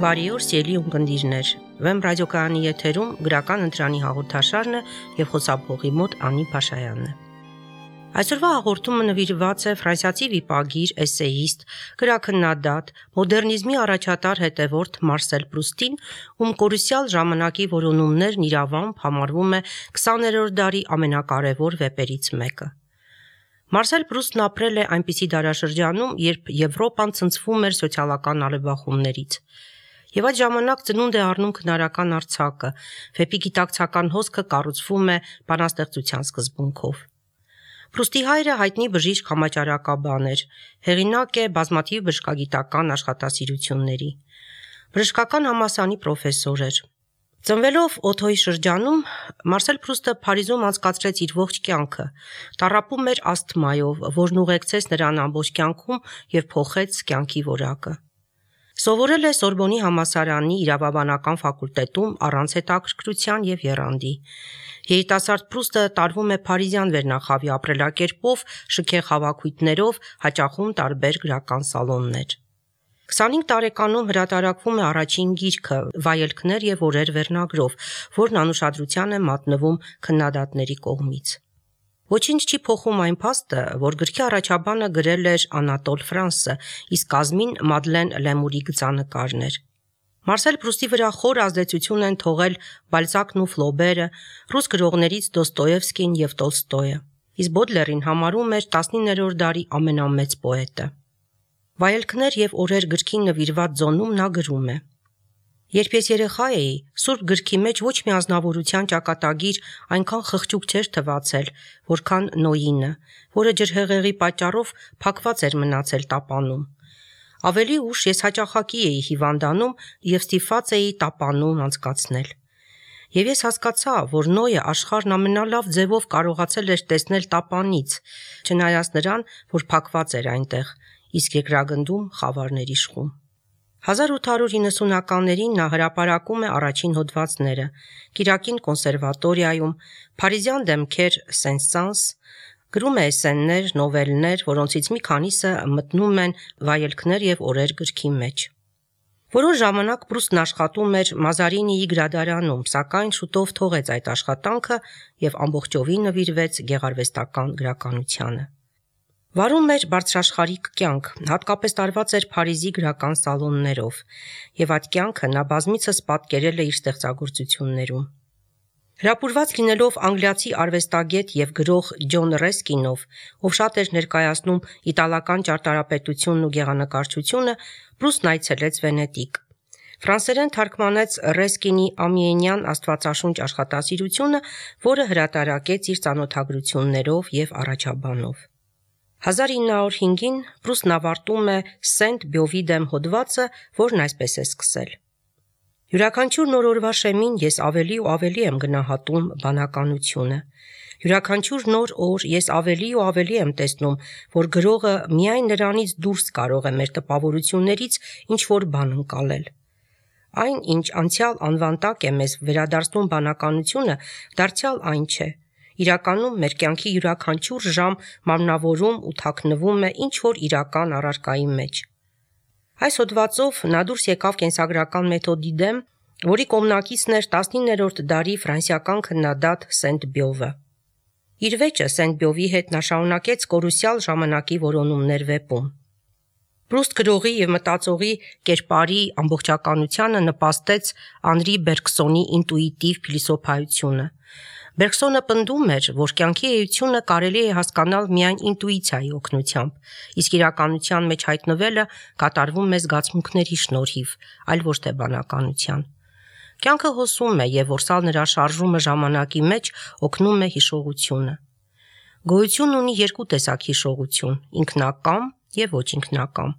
Բարի օր, սիրելի ունկնդիրներ։ Վեմ ռադիոկայանի եթերում գրական ընտրանի հաղորդաշարն է եւ խոսափողի մոտ Անի Փաշայանն է։ Այսօրվա հաղորդումը նվիրված է ֆրանսիացի վիպագիր, էսեիստ, գրաքննադատ, մոդեռնիզմի առաջատար հետևորդ Մարսել Պրուստին, ում կորուսյալ ժամանակի որոնումներն իրավամբ համարվում է 20-րդ դարի ամենակարևոր վեպերից մեկը։ Մարսել Պրուստն ապրել է այնպիսի դարաշրջանում, երբ Եվրոպան ցնցվում էր սոցիալական արևախումներից։ Եվ այդ ժամանակ ծնունդ է առնում քնարական արձակը, վեպի գիտակցական հոսքը կառուցվում է բանաստեղծության սկզբունքով։ Պրուստի հայրը հայտնի բժիշկ համաճարակաբան էր, հեղինակ է բազմաթիվ բժշկագիտական աշխատասիրությունների։ Բժշկական համալսարանի պրոֆեսոր էր։ Ծնվելով Օթոյի շրջանում, Մարսել Պրուստը Փարիզում անցկացրեց իր ողջ կյանքը, տառապում էր ասթմայով, որն ուղեկցեց նրան ամբողջ կյանքում եւ փոխեց կյանքի որակը։ Սովորել է Սորբոնի համալսարանի իրավաբանական ֆակուլտետում առանց հետաքրքրության եւ եռանդի։ Երիտասարդ Պրուստը տարվում է փարիզյան վերնախավի ապրելակերպով, շքեղ հավաքույթներով, հաճախում տարբեր գրական սալոններ։ 25 տարեկանում հրատարակվում է առաջին գիրքը «Վայելքներ եւ օրեր» վերնագրով, որն անուշադրության է մատնվում քննադատների կողմից։ Ոչինչ չի փոխում այն փաստը, որ գրքի առաջաբանը գրել էր Անատոլ Ֆրանսը, իսկ կազմին Մադլեն Լեմուրի գծանկարներ։ Մարսել Պրուստի վրա խոր ազդեցություն են թողել Բալզակն ու Ֆլոբերը, ռուս գրողներից Դոստոևսկին եւ Տոլստոյը, իսկ Բոդլերին համարում էր 19-րդ դարի ամենամեծ պոետը։ Վայելքներ եւ օրեր գրքին նվիրված ձոնում նա գրում է. Երբ ես երեխա էի, Սուրբ գրքի մեջ ոչ մի ազնվորության ճակատագիր այնքան խղճուկ չէր թվացել, որքան Նոյինը, որը ջրհեղեղի պատճառով փակված էր մնացել տապանում։ Ավելի ուշ ես հաճախակի էի հիվանդանում եւ ստիպված էի տապանում անցկացնել։ Եվ ես հասկացա, որ Նոյը աշխարհն ամենալավ ձևով կարողացել էր տեսնել տապանից, չնայած նրան, որ փակված էր այնտեղ, իսկ երկրագնդում խավարներ իշխում։ 1890-ականներին նա հրապարակում է առաջին հոդվածները, Կիրակին կոնսերվատորիայում, Փարիզյան դեմքեր Սեն-Սանս, գրում է էսսեներ, նովելներ, որոնցից մի քանիսը մտնում են Վայելքներ եւ օրեր գրքի մեջ։ Որոշ ժամանակ Պրուստն աշխատում էր Մազարինիի գրադարանում, սակայն շուտով թողեց այդ աշխատանքը եւ ամբողջովին նվիրվեց գեղարվեստական գրականությանը։ Վարում էր բարձրաշխարհիկ կյանք, հատկապես տարված էր Փարիզի գրական սալոններով, եւ այդ կյանքը նա բազմիցս պատկերել է իր ստեղծագործություններում։ Հրապուրված լինելով անգլիացի արվեստագետ եւ գրող Ջոն Ռեսկինով, ով շատ էր ներկայացնում իտալական ճարտարապետությունն ու գեղանկարչությունը, Պրուստն այցելեց Վենետիկ։ Ֆրանսերեն թարգմանեց Ռեսկինի ամիենյան աստվածաշունչ աշխատասիրությունը, որը հրատարակեց իր ծանոթագրություններով եւ առաջաբանով։ 1905-ին Պրուստն ավարտում է Սենտ Բյովի դեմ հոդվածը, որն այսպես է սկսել. Յուրաքանչյուր նոր օրվա շեմին ես ավելի ու ավելի եմ գնահատում բանականությունը։ Յուրաքանչյուր նոր օր ես ավելի ու ավելի եմ տեսնում, որ գրողը միայն նրանից դուրս կարող է մեր տպավորություններից ինչ-որ բան ընկալել։ Այն, ինչ անցյալ անվան տակ է մեզ վերադարձնում բանականությունը, դարձյալ այն չէ։ Իրականում մեր կյանքի յուրաքանչյուր ժամ մարմնավորում ու թաքնվում է ինչ-որ իրական առարկայի մեջ։ Այս հոդվածով նա դուրս եկավ կենսագրական մեթոդի դեմ, որի կողմնակիցն էր 19-րդ դարի ֆրանսիական քննադատ Սենտ Բյովը։ Իր վեճը Սենտ Բյովի հետ նա շարունակեց կորուսյալ ժամանակի որոնումներ վեպում։ Պրուստ գրողի եւ մտածողի կերպարի ամբողջականությանը նպաստեց Անրի Բերգսոնի ինտուիտիվ փիլիսոփայությունը։ Բերգսոնը պնդում էր, որ կյանքի էությունը կարելի է հասկանալ միայն ինտուիցիայի օգնությամբ, իսկ իրականության մեջ հայտնվելը կատարվում է զգացմունքների շնորհիվ, այլ ոչ թե բանականության։ Կյանքը հոսում է եւ որսալ նրա շարժումը ժամանակի մեջ օգնում է հիշողությունը։ Գոյություն ունի երկու տեսակ հիշողություն՝ ինքնակամ եւ ոչ ինքնակամ։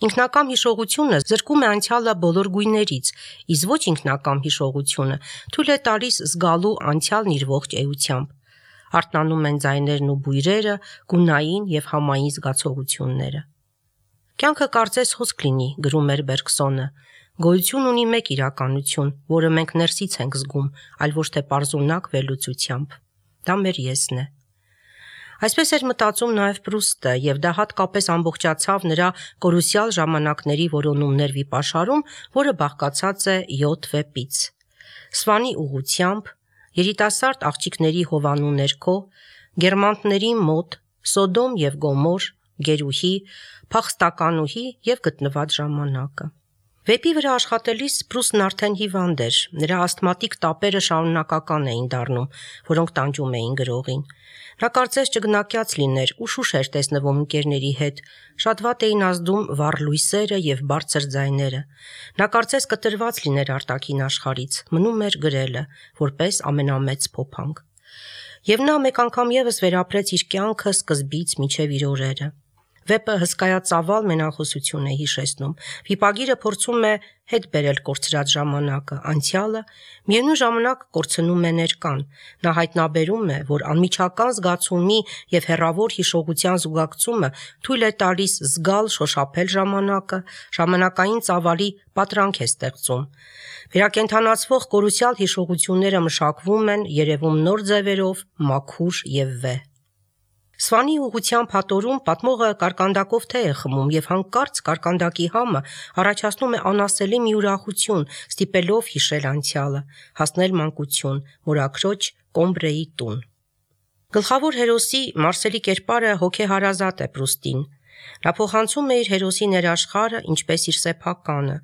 Ինքնակամ հիշողությունը զրկում է անցյալը բոլոր գույներից, իսկ ոչ ինքնակամ հիշողությունը թույլ է տալիս զգալու անցյալն իր ողջ էությամբ։ Արթնանում են ձայներն ու բույրերը, գունային եւ համային զգացողությունները։ Կյանքը կարծես հոսք լինի, գրում էր Բերգսոնը։ Գոյություն ունի մեկ իրականություն, որը մենք ներսից ենք զգում, այլ ոչ թե պարզունակ վերլուծությամբ։ Դա մեր եսն է։ Այսպես էր մտածում նաև Պրուստը, եւ դա հատկապես ամբողջացավ նրա կորուսյալ ժամանակների որոնումներ վիպաշարում, որը բաղկացած է 7 վեպից։ Սվանի ուղությամբ, երիտասարդ աղջիկների հովանու ներքո, գերմանտների մոտ, Սոդոմ եւ Գոմոր, գերուհի, փախստականուհի եւ գտնված ժամանակը։ Վեպի վրա աշխատելիս Պրուստն արդեն հիվանդ էր, նրա ասթմատիկ տապերը շարունակական էին դառնում, որոնք տանջում էին գրողին։ Նա կարծես ճգնակյաց լիներ ու շուշ էր տեսնվում ընկերների հետ, շատ վատ էին ազդում վառ լույսերը եւ բարձր ձայները։ Նա կարծես կտրված լիներ արտաքին աշխարհից, մնում էր գրելը, որպես ամենամեծ փոփանք։ Եվ նա մեկ անգամ եւս վերապրեց իր կյանքը սկզբից մինչեւ իր օրերը։ Վեպը հսկայածավալ մենախոսություն է հիշեցնում։ Վիպագիրը փորձում է հետ բերել կորցրած ժամանակը, անցյալը, միևնույն ժամանակ կորցնում է ներկան։ Նա հայտնաբերում է, որ անմիջական զգացումի եւ հեռավոր հիշողության զուգակցումը թույլ է տալիս զգալ շոշափել ժամանակը, ժամանակային ծավալի պատրանք է ստեղծում։ Վերակենդանացվող կորուսյալ հիշողությունները մշակվում են, երևում նոր ձևերով, մաքուր եւ վեհ։ Սվանի ուղղությամբ հատորում պատմողը կարկանդակով թե է խմում եւ հանկարծ կարկանդակի համը առաջացնում է անասելի մի ուրախություն, ստիպելով հիշել անցյալը, հասնել մանկություն, մորաքրոջ Կոմբրեի տուն։ Գլխավոր հերոսի Մարսելի կերպարը հոգեհարազատ է Պրուստին։ Նա փոխանցում է իր հերոսի ներաշխարհը, ինչպես իր սեփականը։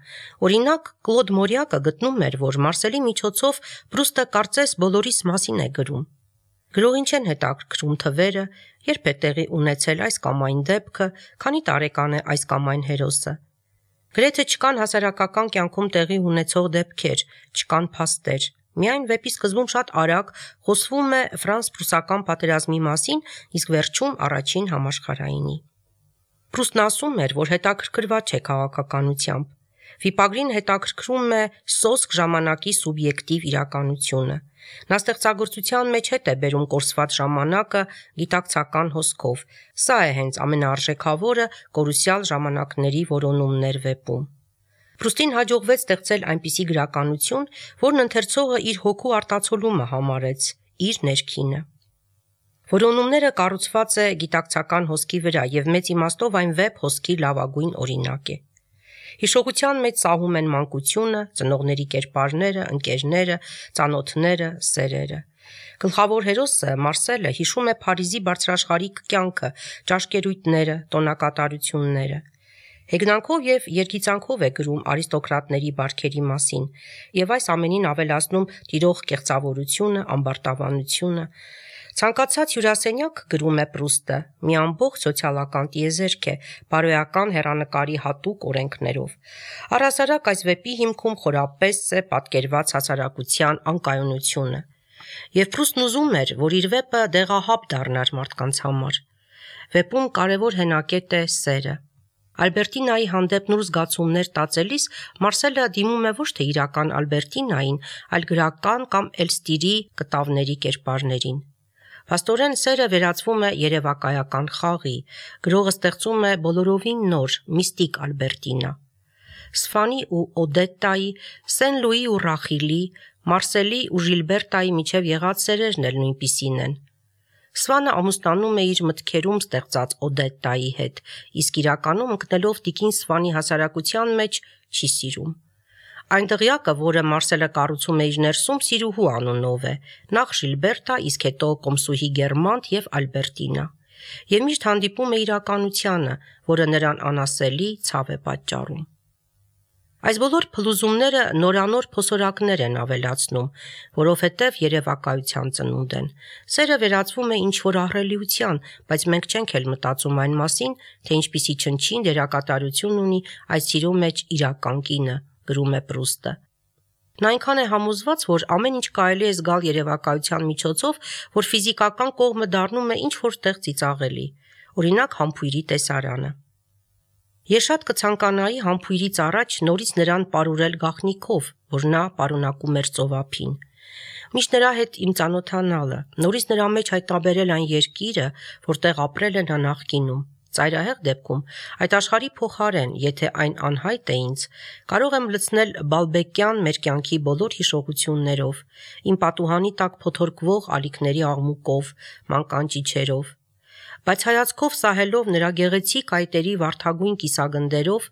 Օրինակ, Կլոդ Մորյակը գտնում էր, որ Մարսելի միջոցով Պրուստը կարծես բոլորիս մասին է գրում։ Գրողին չեն հետաքրքրում թվերը, երբ է տեղի ունեցել այս կամ այն դեպքը, քանի տարեկան է այս կամ այն հերոսը։ Գրեթե չկան հասարակական կյանքում տեղի ունեցող դեպքեր, չկան փաստեր։ Միայն վեպի սկզբում շատ արագ խոսվում է ֆրանս-պրուսական պատերազմի մասին, իսկ վերջում առաջին համաշխարհայինի։ Պրուստն ասում էր, որ հետաքրքրված չէ քաղաքականությամբ։ Վիպագրին հետաքրքրում է սոսկ ժամանակի սուբյեկտիվ իրականությունը։ Նա ստեղծագործության մեջ հետ է բերում կորսված ժամանակը գիտակցական հոսքով։ Սա է հենց ամենաարժեքավորը կորուսյալ ժամանակների որոնումներ վեպում։ Պրուստին հաջողվեց ստեղծել այնպիսի գրականություն, որն ընթերցողը իր հոգու արտացոլումը համարեց, իր ներքինը։ Որոնումները կառուցված է գիտակցական հոսքի վրա եւ մեծ իմաստով այն վեպ հոսքի լավագույն օրինակ է։ Հիշողության մեջ սահում են մանկությունը, ծնողների կերպարները, ընկերները, ծանոթները, սերերը։ Գլխավոր հերոսը Մարսելը հիշում է Փարիզի բարձրաշխարհիկ կյանքը, ճաշկերույթները, տոնակատարությունները։ Հեգնանքով եւ երգիծանքով է գրում արիստոկրատների բարքերի մասին, եւ այս ամենին ավելացնում տիրող կեղծավորությունը, ամբարտավանությունը։ Ցանկացած հյուրասենյակ, գրում է Պրուստը, մի ամբողջ սոցիալական տիեզերք է, բարոյական հեռանկարի հատուկ օրենքներով։ Առհասարակ այս վեպի հիմքում խորապես է պատկերված հասարակության անկայունությունը։ Եվ Պրուստն ուզում էր, որ իր վեպը դեղահապ դառնար մարդկանց համար։ Վեպում կարևոր հենակետ է սերը։ Ալբերտինայի հանդեպ նոր զգացումներ տածելիս Մարսելը դիմում է ոչ թե իրական Ալբերտինային, այլ գրական կամ Էլստիրի կտավների կերպարներին։ Փաստորեն սերը վերածվում է երևակայական խաղի, գրողը ստեղծում է բոլորովին նոր, միստիկ Ալբերտինա։ Սվանի ու Օդետտայի, Սեն Լուի ու Ռախիլի, Մարսելի ու Ժիլբերտայի միջև եղած սերերն էլ նույնպիսին են։ Սվանը ամուսնանում է իր մտքերում ստեղծած Օդետտայի հետ, իսկ իրականում ընկնելով տիկին Սվանի հասարակության մեջ չի սիրում։ Այն դղյակը, որը Մարսելը կառուցում է իր ներսում, Սիրուհու անունով է, նախ Ժիլբերտա, իսկ հետո Կոմսուհի Գերմանտ եւ Ալբերտինա։ Եվ միշտ հանդիպում է իրականությանը, որը նրան անասելի ցավ է պատճառում։ Այս բոլոր փլուզումները նորանոր փոսորակներ են ավելացնում, որովհետև երևակայության ծնունդ են։ Սերը վերածվում է ինչ-որ ահռելիության, բայց մենք չենք էլ մտածում այն մասին, թե ինչպիսի չնչին դերակատարություն ունի այս սիրո մեջ իրական կինը, գրում է Պրուստը։ Նա այնքան է համոզված, որ ամեն ինչ կարելի է զգալ երևակայության միջոցով, որ ֆիզիկական կողմը դառնում է ինչ-որ տեղ ծիծաղելի, օրինակ համբույրի տեսարանը։ Ես շատ կցանկանայի համբույրից առաջ նորից նրան պարուրել գաղտնիքով, որ նա պարունակում էր ծովափին։ Միշտ նրա հետ իմ ծանոթանալը, նորից նրա մեջ հայտնաբերել այն երկիրը, որտեղ ապրել է նա նախկինում։ Ծայրահեղ դեպքում այդ աշխարհի փոխարեն, եթե այն անհայտ է ինձ, կարող եմ լցնել բալբեկյան մեր կյանքի բոլոր հիշողություններով, իմ պատուհանի տակ փոթորկվող ալիքների աղմուկով, մանկան ճիչերով։ բայց հայացքով սահելով նրա գեղեցիկ այտերի վարդագույն կիսագնդերով,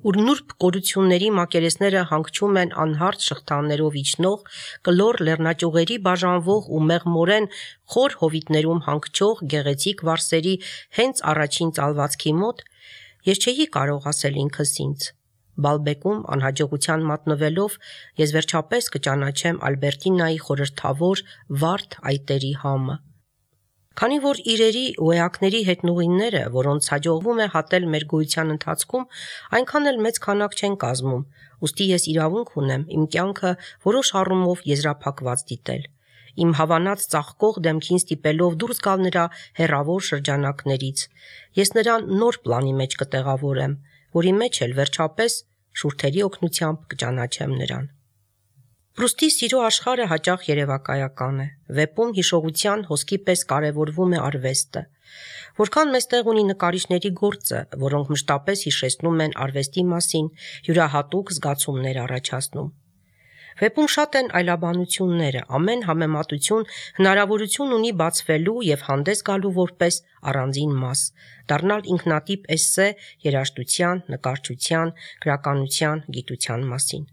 ուր նուրբ կորությունների մակերեսները հանգչում են անհարթ շղթաներով իջնող, կլոր լեռնաճյուղերի բաժանվող ու մեղմորեն խոր հովիտներում հանգչող գեղեցիկ վարսերի հենց առաջին ծալվածքի մոտ, ես չէի կարող ասել ինքս ինձ. Բալբեկում անհաջողության մատնվելով ես վերջապես կճանաչեմ Ալբերտինայի խորհրդավոր վարդ այտերի համը։ Քանի որ իրերի ու էակների հետնուղինները, որոնց հաջողվում է հատել մեր գոյության ընթացքում, այնքան էլ մեծ քանակ չեն կազմում, ուստի ես իրավունք ունեմ իմ կյանքը որոշ առումով եզրափակված դիտել, իմ հավանած ծաղկող դեմքին ստիպելով դուրս գալ նրա հեռավոր շրջանակներից, ես նրան նոր պլանի մեջ կտեղավորեմ, որի մեջ էլ վերջապես շուրթերի օգնությամբ կճանաչեմ նրան։ Պրուստի սիրո աշխարհը հաճախ երևակայական է, վեպում հիշողության հոսքի պես կարևորվում է արվեստը, որքան մեծ տեղ ունի նկարիչների գործը, որոնք մշտապես հիշեցնում են արվեստի մասին, յուրահատուկ զգացումներ առաջացնում։ Վեպում շատ են այլաբանությունները, ամեն համեմատություն հնարավորություն ունի բացվելու և հանդես գալու որպես առանձին մաս, դառնալ ինքնատիպ էսսե երաժշտության, նկարչության, գրականության, գիտության մասին։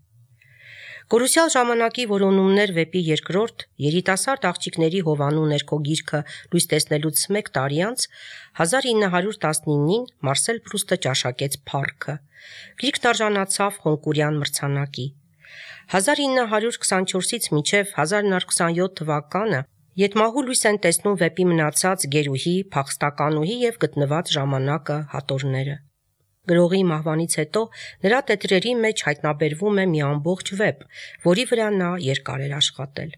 Կորուսյալ ժամանակի որոնումներ վեպի երկրորդ, երիտասարդ աղջիկների հովանու ներքո գիրքը լույս տեսնելուց մեկ տարի անց 1919-ին Մարսել Պրուստը ճաշակեց փառքը։ Գիրքն արժանացավ Հոնկուրյան մրցանակի։ 1924-ից մինչև 1927 թվականը ետմահու լույս են տեսնում վեպի մնացած գերուհի, փախստականուհի և գտնված ժամանակը հատորները։ Գրողի մահվանից հետո նրա տետրերի մեջ հայտնաբերվում է մի ամբողջ վեպ, որի վրա նա երկար էր աշխատել։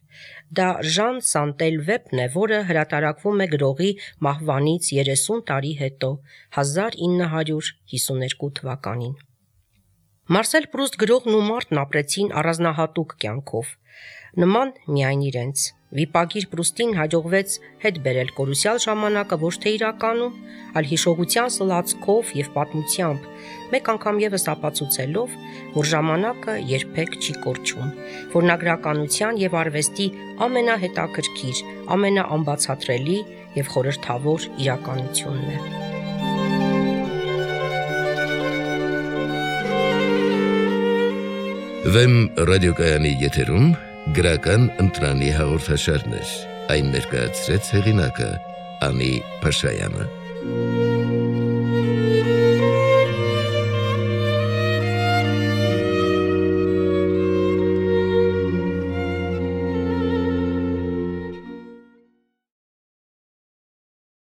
Դա Ժան Սանտել վեպն է, որը հրատարակվում է գրողի մահվանից 30 տարի հետո, 1952 թվականին։ Մարսել Պրուստ գրողն ու մարդն ապրեցին առանձնահատուկ կյանքով, նման միայն իրենց։ Վիպագիր Պրուստին հաջողվեց հետ բերել կորուսյալ ժամանակը ոչ թե իրականում, այլ հիշողության սլացքով և պատմությամբ, մեկ անգամ ևս ապացուցելով, որ ժամանակը երբեք չի կորչում, որ նա գրականության և արվեստի ամենահետաքրքիր, ամենաանբացատրելի և խորհրդավոր իրականությունն է։ Վեմ ռադիոկայանի եթերում գրական ընտրանի հաղորդաշարներ, այն ներկայացրեց հեղինակը Անի Փաշայանը։